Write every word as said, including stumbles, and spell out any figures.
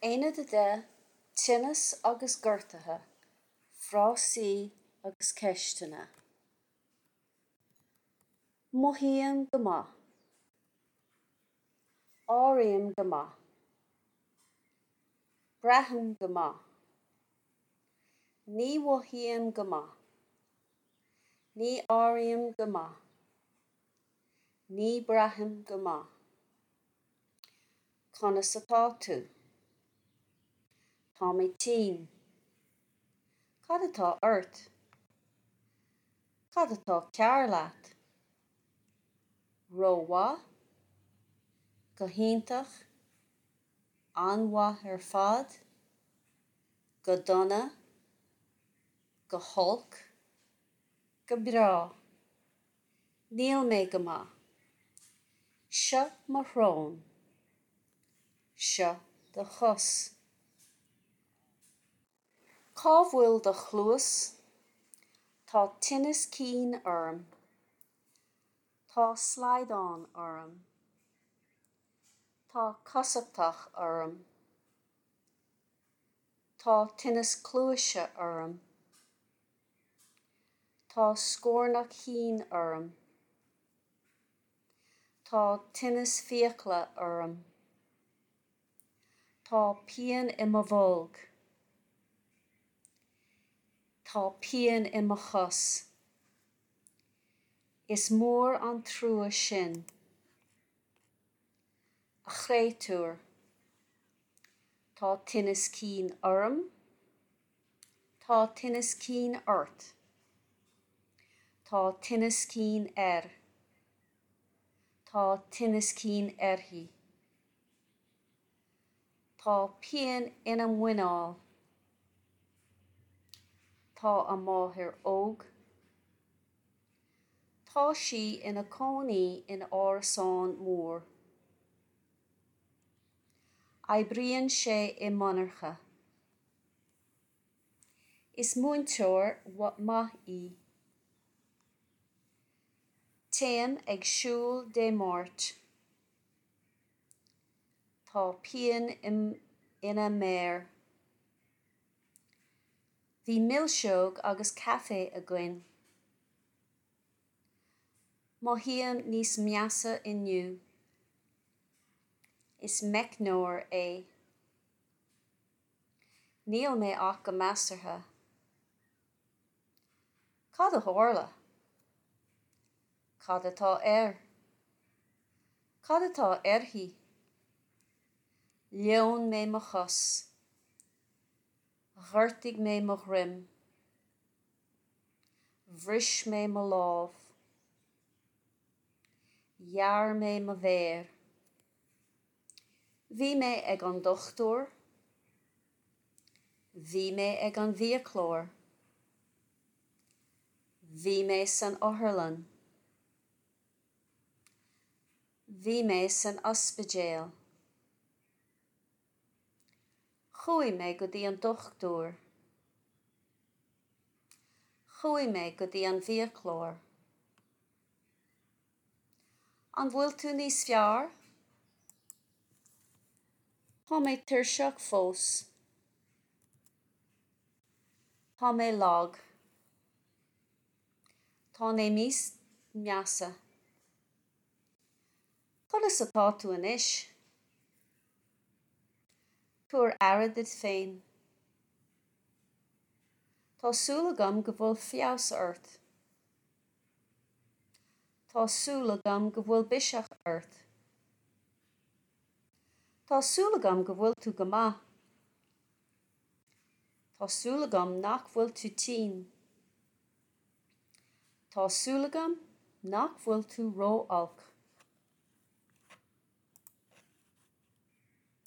Aonad a deich, Tinneas agus Gortuithe, Frásaí agus Ceisteanna. Mothaím go maith. Airím go maith. Braithim go maith. Ní mhothaím go maith. Ní airím go maith. Ní bhraithim go maith. Conas atá tú? Tá mé tinn. Cad atá ort? Cad atá cearr leat? Rómhaith, Go hiontach, An-mhaith ar fad, Go dona, Go holc, Go breá. Níl mé go maith. Seo mo shrón. Seo do chos. Cá bhfuil do chluas? Tá tinneas cinn orm. Tá slaghdán orm. Tá cosachtach orm. Tá tinneas cluaise orm. Tá scornach thinn orm. Tá tinneas fiacla orm. Tá pian i mo bholg. Tá pian i mo chos. Is mór an trua sin. A chréatúir. Tá tinneas cinn orm. Tá tinneas cinn ort. Tá tinneas cinn air. Tá tinneas cinn uirthi. Tá pian ina muineál. Tá a máthair óg. Tá sí ina cónaí in árasán mór. Oibríonn sé i monarcha. Is múinteoir maith í. Téim ag siúl Dé Máirt. Tá pian ina méar. Bhí milseog agus caife againn. Mothaím níos measa inniu. Is meicneoir é. Níl mé ach go measartha. Cad a tharla? Cad atá air? Cad atá uirthi? Leon mé mo chos. Ghortaigh mé mo dhroim. Bhris mé mo lámh. Ghearr mé mo mhéar. Bhí mé ag an dochtúir. Bhí mé ag an bhfiaclóir. Bhí mé san otharlann. Bhí mé san ospidéal. Chuaigh mé go dtí an dochtúir. Chuaigh mé go dtí an bhfiaclóir. An bhfuil tú níos fearr? Tá mé tuirseach fós. Tá mé lag. Tá mé níos measa. Conas atá tú anois? Tabhair aire duit féin. Tá súil agam go bhfuil feabhas ort. Tá súil agam go bhfuil biseach ort. Tá súil agam go bhfuil tú go maith. Tá súil agam nach bhfuil tú tinn. Tá súil agam nach bhfuil tú ró-olc.